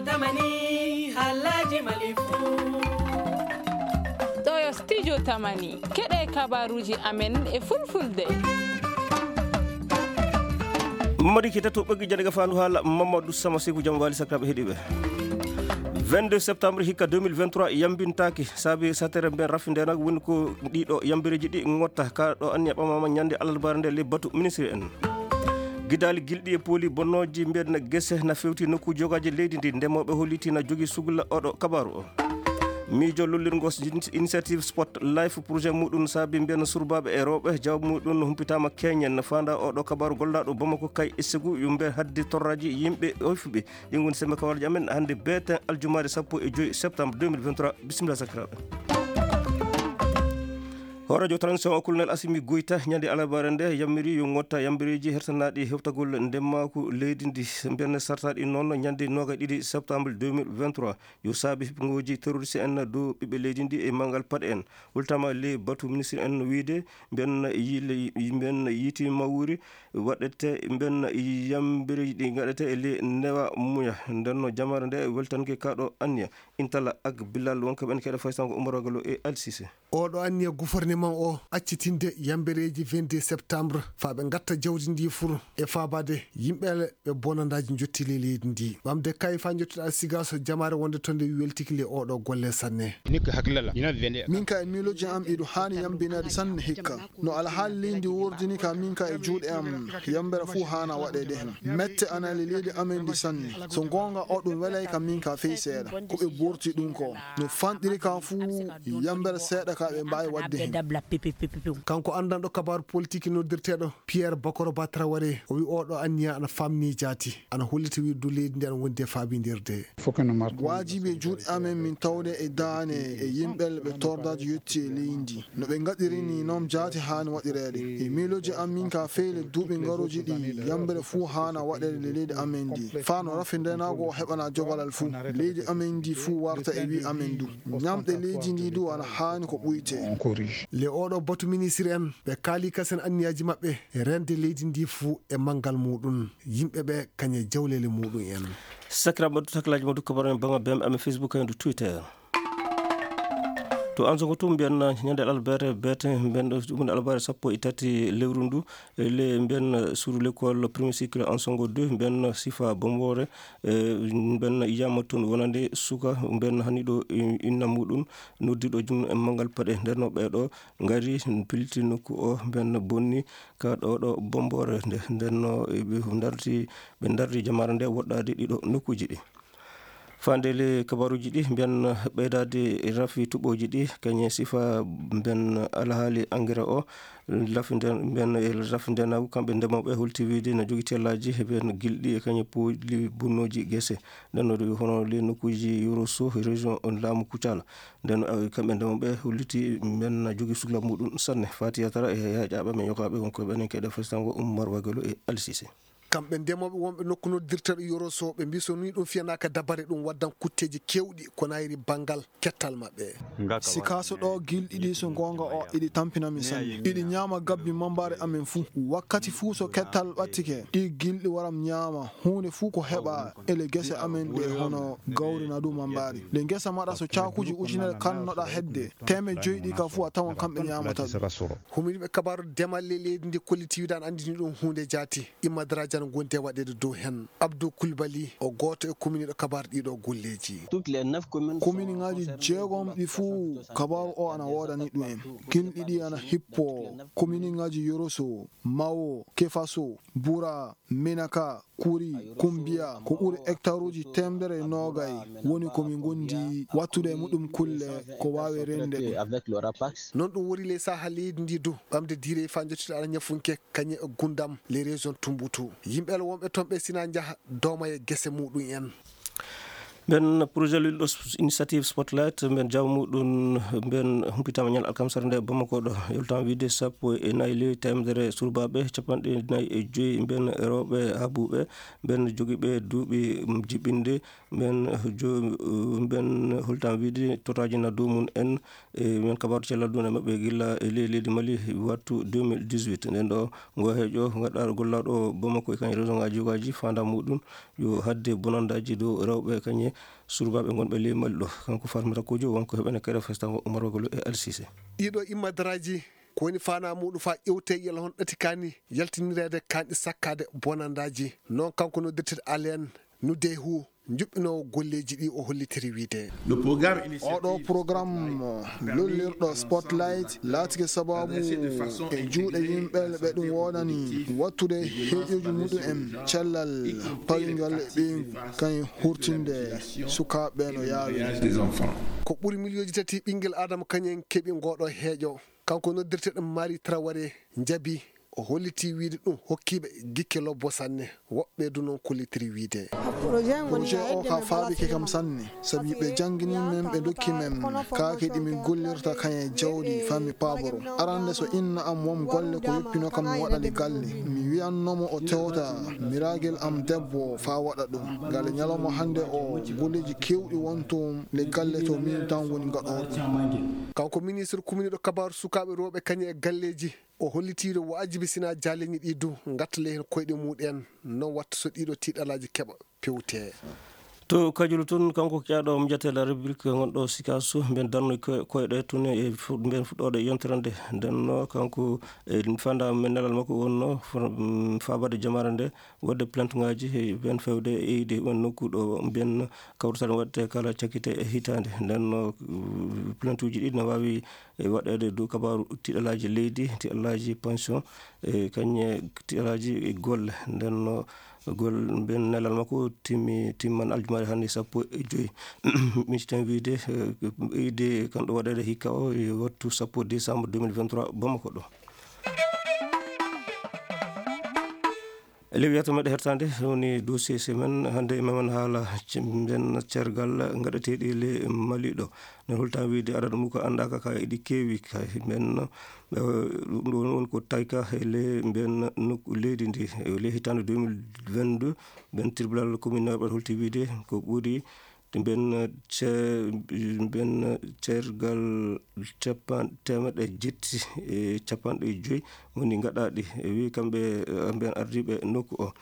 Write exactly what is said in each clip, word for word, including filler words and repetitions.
Tamani, haalaaji Mali fuu. Ɗo yo Studio Tamani. Keɗe kabaruuji amen e Fulfulde. Mamadi Keita to ɓoggi jannde ga faandu haala Mamadou Sama Seku, jam waali sakiraaɓe heɗiiɓe. Vingt-deux septembre hikka deux mille vingt-trois yambintaaki, saabi satere mben rafi ndenaga woni ko ɗiɗo yambireeji ɗi ngotta ka ɗo anniya ɓamama ñande alarbaare nde le batu ministre en. Gidaali gilɗi e pooli bonnooji mbiyen gese na fewti nokkuuji yogaaji leydi ndi, ndemooɓe holliti na jogii sugla oɗo kabaaru o. Miijo lollirngo s-, initiative Sport Life projet muɗum saabi mbiyen surbaaɓe e rewɓe, jawab muɗum humpitaama keñen. Faanda oɗo kabaaru gollaaɗo Bamako kay e Ségou yo mbiyen haddi torraaji yimɓe oyfuɓe. Ɗin woni sembe kabaruuji amen hannde beeten aljumaare sappo e joy septembre deux mille vingt-trois. Bisimilla sakiraaɓe. Hooreejo transition o Colonel Assimi Goïta ñande alarbaare nde yammiri yo ngotta yambireeji hertanaaɗi hewtagol ndemaaku leydi ndi, mbiyen sartaaɗi noon ñande noogaye ɗiɗi septembre deux mille vingt-trois. Yo saabi hippugooji terroriste en dow ɓiɓɓe leydi ndi e manngal paɗe en. Hultama le batu ministre en wiide mbiyen yile-, mbiyen yiiti mawuri waɗete, mbiyen yambireeji ɗi ngaɗete e le newa muña. Nden no jamaare nde weltanke kaɗo anniya. Intala ak Bilal wonko ɓen keɗe faysango Umar Wagalo e Alsise. Oɗo anniya gouvernement o accitinde yambereeji vingt-deux septembre faa ɓe ngatta jawdi ndi fur e faabaade yimɓe ɓe bonandaaji njotti ley leydi ndi. Ɓamde kay faa njottude Alsigaso jamaare wonde to nde weltiki le oɗo golle sanne. Min ka e miilooji am iɗo haani yambinaade sanne hikka. No alhaali leydi wordini ka min ka e juuɗe am, yambere fuu haana waɗeede hen. Mette ana le leydi amen ndi sanne. So goonga o ɗum welay ka min ka fey seeɗa. Ko ɓe borti ɗum ko. No fanɗiri ka fuu yambere seeɗa ka ɓe mbaawi waɗde hen. Kanko anndanɗo kabaaru politik noddirteeɗo Pierre Bakoro Ba Traoré, o wi oɗo anniya ana famni jaati, ana holliti wirdu leydi ndi ana wondi e faabindirde. Waajibi e juuɗe amen min tawde e daane e yimɓe ɓe tordaaji yetti e leydi. No ɓe ngaɗiri ni noon jaati haani waɗireede. E miilooji am min ka feele duuɓi ngaruji ɗi yambere fuu haana waɗeede e leydi amen ndi. Faa no rafi ndenaagu o heɓana jogalal fuu. Leydi amen ndi fuu warta e wi amen du. Ñamɗe leydi ndi du ana haani ko ɓuyte. Le oɗo batu ministre en, ɓe kaali kasen anniyaaji maɓɓe, rende leydi ndi fuu e manngal muɗum, yimɓe ɓe kañe jawlele muɗum en. Sakiraaɓe, taklaaji mo dukka baɗon e baŋa B M M Facebook e ndu Twitter. To Ansogo to mbiyen ñande alarbaare beete, mbiyen ɗo ɗum alarbaare sappo e tati lewru ndu, e le mbiyen suudu l'école premier cycle Ansogo deux, mbiyen sifa Bomboore, e mbiyen yiyama toon wonande suka, mbiyen hani ɗo inna muɗum, noddiɗo jum e manngal paɗe. Nden no ɓeeɗo ngari pilti nokku o, mbiyen bonni ka ɗo ɗo Bomboore nde. Nden no ɓe darti, ɓe darti jamaare nde woɗɗaade ɗiɗo nokkuuji ɗi. Faande le kabaruuji ɗi, mbiyen ɓeydaade rafi tuɓooji ɗi, kañe sifa mbiyen alhaali engrais o, rafi nden, mbiyen e rafi ndenaagu, kamɓe ndemooɓe holti wiide na jogii tellaaji, mbiyen gilɗi e kañe pooli bonnooji gese. Nden no hono le nokkuuji Yoroso, région on laamu Kucala. Nden, eh, kamɓe ndemooɓe holliti mbiyen na jogii sukla muɗum sanne. Fati Yatara e yaaƴaaɓe men yokaaɓe wonko ɓenen keɗe festango Ummar Wagalo e Alsise. Kamɓe ndemooɓe wonɓe nokku noddirteeɗo Yoroso, ɓe mbii so nii ɗum fiyanaaka dabare, ɗum waddan kutteeji keewɗi ko nayri banngal kettal maɓɓe. Sikaso ɗo gilɗi ɗi so goonga o iɗi tampina min sanne. Iɗi ñaama gabbi mambaari amen fuu. Wakkati fuu so kettal ɓattike, ɗi gilɗi waram ñaama huunde fuu ko heɓa ele gese amen ɗe hono gawri na du mambaari. Nde ngesa maɗa so caakuuji ujunere kannoɗa hedde, teemeɗɗe joyi ɗi ka fuu a tawan kamɓe ñaamata ɗum. Huminiiɓe kabaaru demal ley leydi ndi kolliti wiide ana anndini ɗum huunde jaati. Imma daraaji ana ngondi e waɗeede dow heen. Abdou Coulibaly, o gooto e kuminiiɗo kabaaru ɗiɗo golleeji. Kuminiŋaaji jeegom ɗi fuu kabaaru o ana woodani ɗum en. Gilɗi ɗi ana hippo kuminiŋaaji Yoroso, Mawo, Kefaso, Bura, Menaka, Kuri, Kumbiya, ko ɓuri hektaruuji teemedere e noogay woni ko min ngondi wattude e muɗum kulle ko waawi rende ɗum. Noon ɗum woni ley saha leydi ndi du, ɓamde diire faa njottude ala ñafunke kañe e Gundam, les régions Tumbutu. Yimɓe ala wonɓe toon ɓe sina njaha dooma e gese muɗum en. Mben projet lilɗo s-, initiative Spotlight, mben jaabu muɗum, mben humpitaama ñal alkamsere nde Bamako ɗo. Yoltaama wiide sappo e nayi ley teemedere surbaaɓe, capanɗe nayi e joyi mben rewɓe habuuɓe, mben jogiiɓe duuɓi jiɓinde, mben jo-, mben holtaama wiide totaaji na dow mum en, e mben kabaaru cellal ɗum e maɓɓe gila e ley leydi Mali wattu deux mille dix-huit. Nden ɗo ngo heejo gaɗɗaaɗo gollaaɗo Bamako e kañum région ŋaaji yogaaji faandaare muɗum yo haɗde bonandaaji dow rewɓe kañum Surgaaɓe gonɓe ley Mali ɗo, kanko Fatmata Kojo, wonko heɓene kere festan Umar Wagolo e Alsise. Ɗiɗo immadaraaji ko woni faanaa muuɗum faa ƴewtee yalla hono ɗati kaani yaltinireede, kaani sakkaade bonandaaji. Noon kanko noddirteeɗo Alain Nudehu, njuɓɓinoowo golleeji ɗi, o hollitiri wiyde. Oɗo programme lollirɗo Spotlight laatike sababu e juuɗe yimɓe ɓe ɗum woodani wattude heeƴuuji muɗum en cellal pawingal ɓe kañ hurtinde sukaaɓe no yaawi. Ko ɓuri miliyonji tati ɓinngel Aadama kañum en keɓi ngooɗo heeƴo. Kanko noddirteeɗo Mari Traoré njabi, o hollitii wiyde ɗum hokkiiɓe gikke lobbo sanne, woɓɓe du noon kollitiri wiyde. Projet o ka faabike kam sanne, sabi ɓe janngini men, ɓe ndokki men kaake ɗi min gollirta kañ e jawdi faa mi paaboro. Arande so inna am won golle ko yoppinoo kam mi waɗa le galle, mi wiyanno mo o tewta miragel am debbo faa waɗa ɗum. Ngale ñalawma hannde o golleeji keewɗi won toon le galle to min tan woni ngaɗooɗo. Kanko ministre kuminiiɗo kabaaru sukaaɓe rewɓe kañum e galleeji, o hollitiino waajibi sinaa jaaleeji ɗi du ngattale heen koyɗe mumen, noon watta so ɗiɗo tiiɗalaaji keɓa pewtee. To Kajulu toon, kanko kiyaaɗo Mjatela République gonɗo Sikaso, mben darno koy-, koyɗe tun e fu-, mben fuɗɗoode yontere nde. Nden no kanko e fanda men nelal makko wonno fa-, mm, faabade jamaare nde, waɗde plainte ngaaji e ben fewde e eyde ɓen nokku ɗo mbiyen kawrital waɗte kala cakkite e hitaande. Nden no, uh, plainte uji ɗi no waawi e waɗeede dow kabaaru tiiɗalaaji leydi, tiiɗalaaji pension, e kañe tiiɗalaaji e golle. Nden no gol-, mbiyen nelal makko timmi, timman aljumaare hannde sappo e joy. Micciten wiyde, eh, eyde kan ɗo waɗeede hikka o e wattu sappo décembre deux mille vingt-trois Bamako ɗo. E lewiyata meɗe hertande woni dossier semaine. Hannde memen haala ce-, nden cergal ngaɗeteeɗi le Mali ɗo. Nden holta wiyde adadu mum ko anndaaka ka eɗi keewi kay. Nden, eh, ɗum ɗo woni ko tayka e le mbiyen nokku leydi ndi. E le hitaande deux mille vingt-deux, mbiyen tribunal communal ɓe holti wiyde ko ɓuri mbiyen ce-, mbiyen cergal capan-, teemeɗɗe jetti e capanɗe joy woni ngaɗaaɗi. E wi kamɓe, eh, mbiyen ardiiɓe nokku o.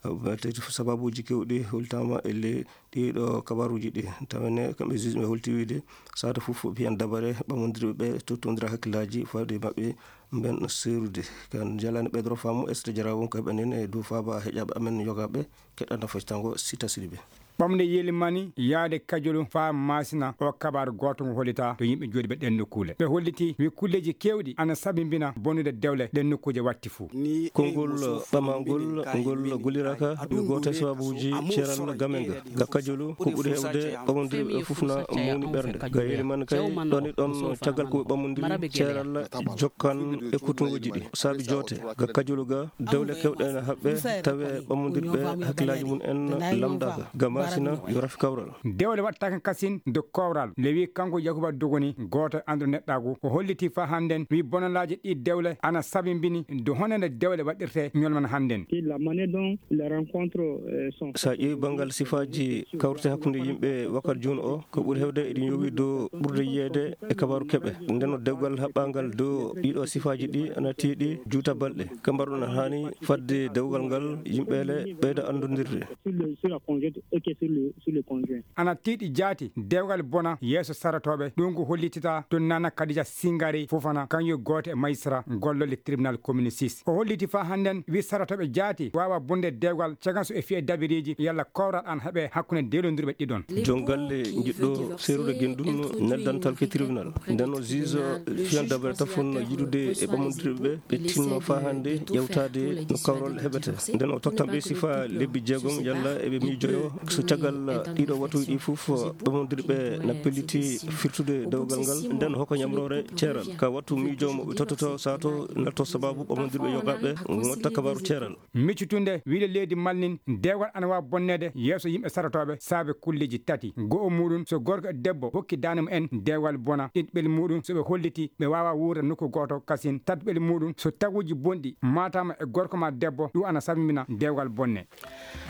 Eh, te sababuuji keewɗi holtaama e le ɗiɗo kabaaruuji ɗi. Tawene kamɓe juge ɓe holti wiyde saata fof mbiyen dabare ɓamondirɓe ɓe tottondira hakkillaaji fawde maɓɓe mbiyen seerude. Kan jalaani ɓeydoro faamu, Esther Jara won ko heɓanen e dow faaba heƴaaɓe amen yogaaɓe. Keɗɗa nafo tango Sita Sidibe. Ɓamde yelimani yaade Kajulu faa Maasina, o kabaaru gooto ngo hollitaa to yimɓe jooɗiiɓe ɗeen nokkuule. Ɓe hollitii wi kulleeji keewɗi ana sabimbina bonnude dewle ɗeen nokkuuje watti fuu. Konngol ɓamangol ngol golliraaka yo gooto e sababuuji ceeral gamen ga. Ga Kajulu ko ɓuri heewde ɓamondirɓe fof na mawni ɓernde. Ga yelimani kay ɗon e ɗon caggal ko ɓamondiri ceeral jokkan e kutungoji ɗi. Saabi joote ga Kajulu ga dewle keewɗe ene haɓɓe tawe ɓamondirɓe hakkillaaji mum en lamndaaka. Ga Maasina yo rafi kawral. Dewle waɗtaaka kasin do kowral. Lewi kanko Yakuba Dogoni, gooto e annduɗo neɗɗaagu, o holliti faa hannden wi bonalaaji ɗi dewle ana sabimbini do honande dewle waɗirte ñolman hannden. Et la manière dont les rencontres, euh, sont. So a ƴeewi banngal sifaaji kawrite hakkunde yimɓe wakkati jooni o, ko ɓuri heewde eɗi ñoowi dow ɓurde yiyeede e kabaaru keɓe. Nden no dewgal haɓɓaangal dow ɗiɗo sifaaji ɗi ana tiiɗi juuta balɗe. Ka mbaruɗon haani fadde dewgal ngal yimɓe le ɓeyda anndondirde. Sur le, sur la conjointe et que sur le, sur le conjoint. Ana tiiɗi jaati dewgal bona yeeso saratooɓe. Ɗum ko hollitita to Nana Kadija Singari Fofana, kañum gooto e majistra gollolle tribunal commune six. O holliti faa hannden wi saratooɓe jaati waawa bonde dewgal cagan so e fiye dabiriiji yalla kowral an heɓe hakkunde dewlondirɓe ɗiɗon. Joom galle jiɗɗo seerude gendun neldantal ke tribunal. Nden o juge fiyan dabare tafon yiɗude e ɓamondirɓe ɓe, ɓe tinno faa hannde ƴewtaade no kawral heɓete. Nden o totta ɓe sifa lebbi jeegom yalla eɓe miijoyo so caggal ɗiɗo watuuji ɗi fof ɓamondirɓe na pelliti firtude dewgal ngal. Nden hoko ñamroore ceeral ka wattu miijoomo ɓe tottoto sato nalto sababu ɓamondirɓe yogaaɓe ngotta kabaaru ceeral. Miccutunde wiyde leydi Mali nin, dewgal ana waawi bonneede yeeso yimɓe sarotooɓe saabe kulleeji tati. Go'o muuɗum, so gorko e debbo hokki daande mumen dewgal bona, ɗiɗɓel muuɗum, so ɓe holliti ɓe waawaa wuurde nokku gooto kasin, tataɓel muuɗum, so taguuji bonɗi maataama e gorko maa debbo, ɗum ana sabimbina dewgal bonne.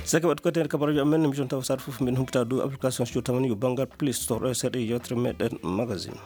Saka waɗi ko ten kabaruji amen, mission tawa sar fof min humpita dow application studio tamani yo banngal Play Store, ɗo e seeɗa yewtere meɗen magazine.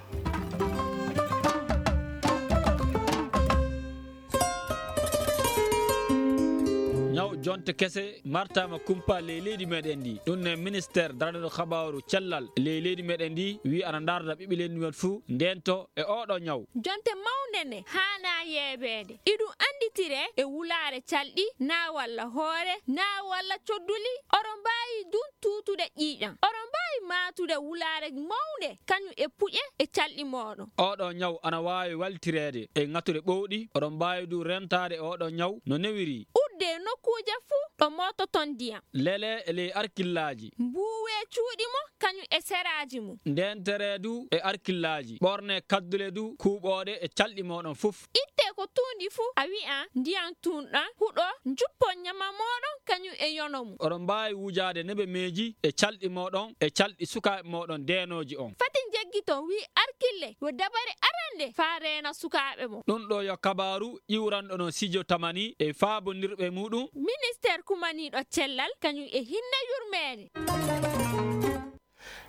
Ñaw Jonte kese martaama kumpa ley leydi meɗen ndi. Ɗum ne ministeer daraniiɗo kabaaru cellal ley leydi meɗen ndi wi'i ana ndaarda ɓiɓɓe leydi men fuu ndeento e oɗo ñaw. Jonte mawnde ne haanaa yeebeede. Iɗum annditire e wulaare calɗi, naa walla hoore, naa walla codduli. Oɗo mbaawi dun tuutude ƴiiƴam. Oɗo mbaawi maatude wulaare mawnde, kañum e puƴe e calɗi mooɗon. Oɗo ñaw ana waawi waltireede e ŋatuɗe ɓowɗi. Oɗo mbaawi du rentaade oɗo ñaw no newiri. Udde nokkuuje fuu ɗo moototon ndiyam. Lele e ley arkillaaji. Mbuuwe cuuɗi mo, kañum e seraaji mum. Ndeentere du e arkillaaji. Ɓorne kaddule du kuuɓooɗe e calɗi mooɗon fof. Itte ko tuundi fuu, a wi'an ndiyam tuunɗam huɗo, njuppon ñama mooɗon kañum e yono mum. Oɗon mbaawi wujaade nebemeeji e calɗi mooɗon e calɗi sukaaɓe mooɗon deenooji on. Fati njeggiton, wi'i arkille, yo dabare arande faa reena sukaaɓe mo. Ɗum ɗo yo kabaaru iwranɗo no Sijo Tamani e faabondirɓe muɗum. Ministeer kumaniiɗo cellal kañum e hinne yurmeende.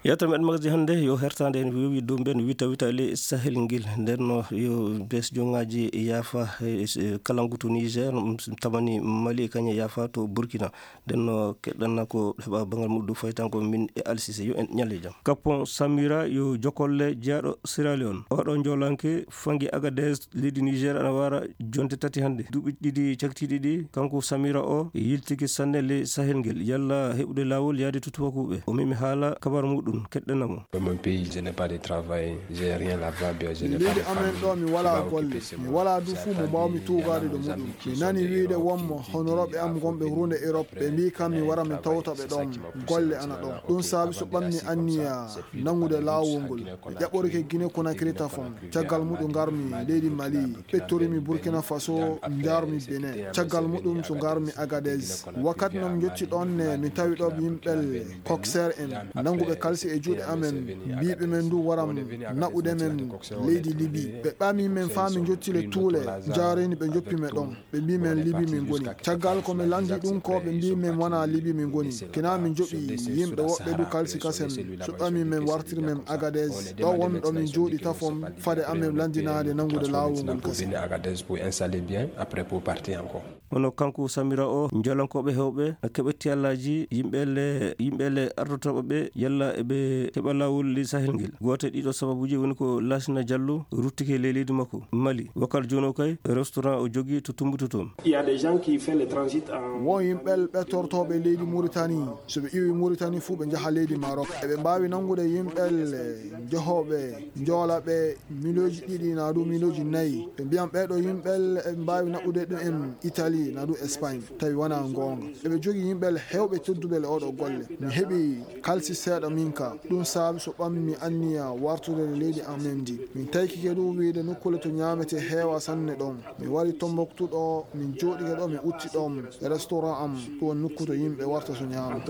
Yewtere meɗen magazin hannde yo hertaande en wewi dow mben wita wita ley Sahel ngel. Nden no yo bes jongaaji yaafa, eh, eh, kalangu to Niger, mm, Tamani Mali, kañe yaafa to Burkina. Nden no keɗɗanna ko heɓa bangal muɗum faytango min e Alsise. Yo en ñalle jam. Kapon Samira yo jokolle jeyaɗo Sierra Leone. Oɗo njolanke fangi Agadez leydi Niger ana wara jonte tati hannde. Duuɓi ɗiɗi cakitiiɗi ɗi, kanko Samira o yiltiki sanne ley Sahel ngel, yalla heɓude laawol yaade to tubakuuɓe. O memi haala kabar muɗum, keɗɗana mo. Dans mon pays, je n'ai pas de travail, j'ai rien là-bas, bien, je n'ai pas de famille. Leydi amen ɗo, mi walaa golle, mi walaa du fuu mo mbaawmi tuugaade ɗo muɗum. Mi nani wiide wonmo honorooɓe am gonɓe huunde Europe, ɓe mbii kam mi wara mi tawta ɓe ɗon, golle ana ɗon. Ɗum saabi so ɓammi anniya nanngude laawol ngol. Mi ƴaɓɓorike Guinée Conakry tafon. Caggal muɗum ngarmi leydi Mali, ɓettorimi Burkina Faso, njaarmi Benin. Caggal muɗum so ngarmi Agadez. Wakkati no mi jotti ɗon ne, mi tawi ɗo yimɓe Kokser en, nannguɓe kalsi e juuɗe amen, mbiiɓe men ndu waram naɓude men leydi Libi. Ɓe ɓami men faa mi jotti le Tuule, njaarini ɓe njoppi men ɗon. Ɓe mbii men Libi min ngoni. Caggal ko mi lanndii ɗum ko, ɓe mbii men wonaa Libi min ngoni. Kina min njoɓi yimɓe woɓɓe du kalsi kasen. So ɓami men wartiri men Agadez. Ɗo wonɗo min jooɗi tafon fade amen lanndinaade nanngude laawol ngol kasen. Agadez pour installer bien, après pour partir encore. Kono kanko Samira o, njolankooɓe heewɓe keɓe tiyallaaji yimɓe le, yimɓe le ardotooɓe ɓe yalla eɓe keɓa laawol ley Sahel ngel. Gooto e ɗiɗo sababuuji woni ko Laasina Jallo ruttike ley leydi makko. Mali, wakkati jooni o kay, restaurant o jogii to Tumbutu toon. Il y a des gens qui font le transit en... Won yimɓe ɓettortooɓe leydi Muritani. So ɓe iwi Muritani fuu, ɓe njaha leydi Maroc. Eɓe mbaawi nanngude yimɓe njehooɓe njoola ɓe miliyonji ɗiɗi naa du miliyonji nayi. Ɓe mbiyan ɓee ɗo yimɓe eɓe mbaawi naɓude ɗum en Italie naa du Espagne. Tawi wonaa goonga. Eɓe jogii yimɓe heewɓe tedduɓe le oɗo golle. Mi heɓi kalsi seeɗa min ka. Ɗum saabi so ɓammi anniya wartude leydi amen ndi. Min taykike du wiide nokkuule to ñaametee heewa sanne ɗon. Mi wari Tombouctou ɗo, min jooɗike ɗo, mi utti ɗon restaurant am. Ɗum woni nokku to yimɓe warta so ñaama.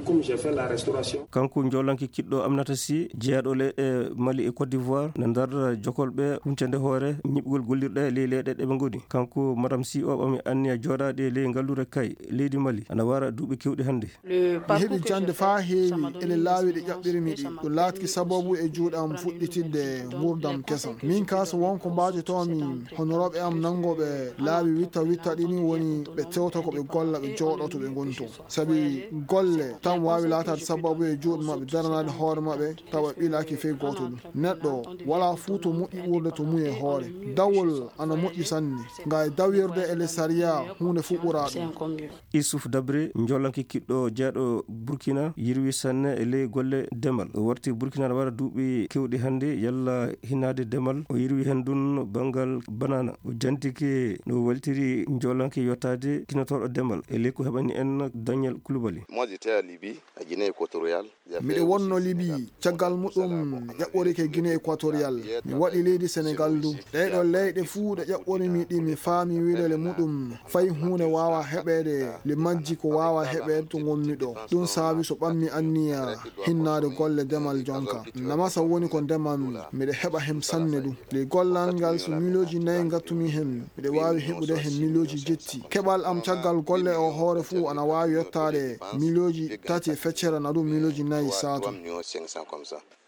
Comme j'ai fait la restauration. Kanko njolanke kiɗɗo Aminata Sy, jeyaɗo le e Mali e Côte d'Ivoire, na darda jokolɓe huncande hoore ñiɓgol gollirɗe ley leyɗe ɗe ɓe ngoni. Kanko Madame Sy o ɓami anniya jooɗaade ley ngalluure kay leydi Mali. Ana wara duuɓi kewɗi hannde. Mi heɓi jannde faa heewi e le laawi ɗi ƴaɓɓirmi ɗi. Ɗum laatki sababu e juuɗe am fuɗɗitinde nguurndam kesam. Min kaa so won ko mbaajotoomi, honorooɓe am nanngooɓe laawi witta witta ɗi ni woni ɓe tewta ko ɓe golla, ɓe jooɗoo to ɓe ngoni to. Sabi golle tan waawi laataade sababu e juuɗe maɓɓe, daranaade hoore maɓɓe, tawa ɓilaaki fey gooto ɗum. Neɗɗo walaa fuu to moƴƴi ɓurde to mum e hoore. Dawol ana moƴƴi sanne. Nga e dawirde e le sariya, huunde fuu ɓuraa ɗum. Issouf Dabré, njolanke kiɗɗo jeyaɗo Burkina, yirwi sanne e ley golle demal. O warti Burkina na wara duuɓi kewɗi hannde, yalla hinaade demal. O yirwi heen dun banngal banana. O jantike no waltiri njolanke yottaade kinotooɗo demal e ley ko heɓani en Daniel Koulibaly. Moi, j'étais à Libye, à Guinée équatoriale. Miɗo wonno Libi, caggal muɗum ƴaɓɓorike Guinée Équatoriale. Mi waɗi leydi Senegal du. Ɗee ɗoo leyɗe fuu ɗe ƴaɓɓorimi ɗi, mi faami wiide le muɗum fay huunde waawaa heɓeede le majji ko waawaa heɓeede to ngonmi ɗo. Ɗum saabi so ɓammi anniya hinnaade golle demal jonka. Namasa woni ko ndemammi, miɗo heɓa hem sanne du. Le gollal ngal so miliyonji nayi ngattumi hem, miɗo waawi heɓude hem miliyonji jetti. Keɓal am caggal golle o hoore fuu ana waawi yottaade miliyonji tati e feccere na ɗum miliyonji nayi saatu.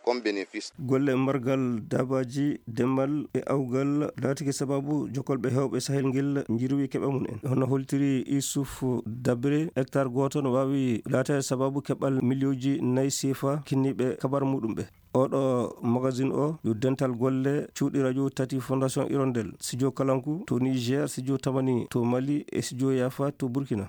on bénéfice. Golle margal daabaaji, demal e awgal laatike sababu jokolɓe heewɓe Sahel ngel njirwi keɓa mum en. Hono holtiri Issouf Dabré, hectare gooto no waawi laataade sababu keɓal miliyooji nayi sefa kinniiɓe kabar muɗum ɓe. Oɗo magazine o yo dental golle cuuɗi radio tati Fondation Hirondelle, studio Kalangu to Niger, studio Tamani to Mali e studio Yafa to Burkina.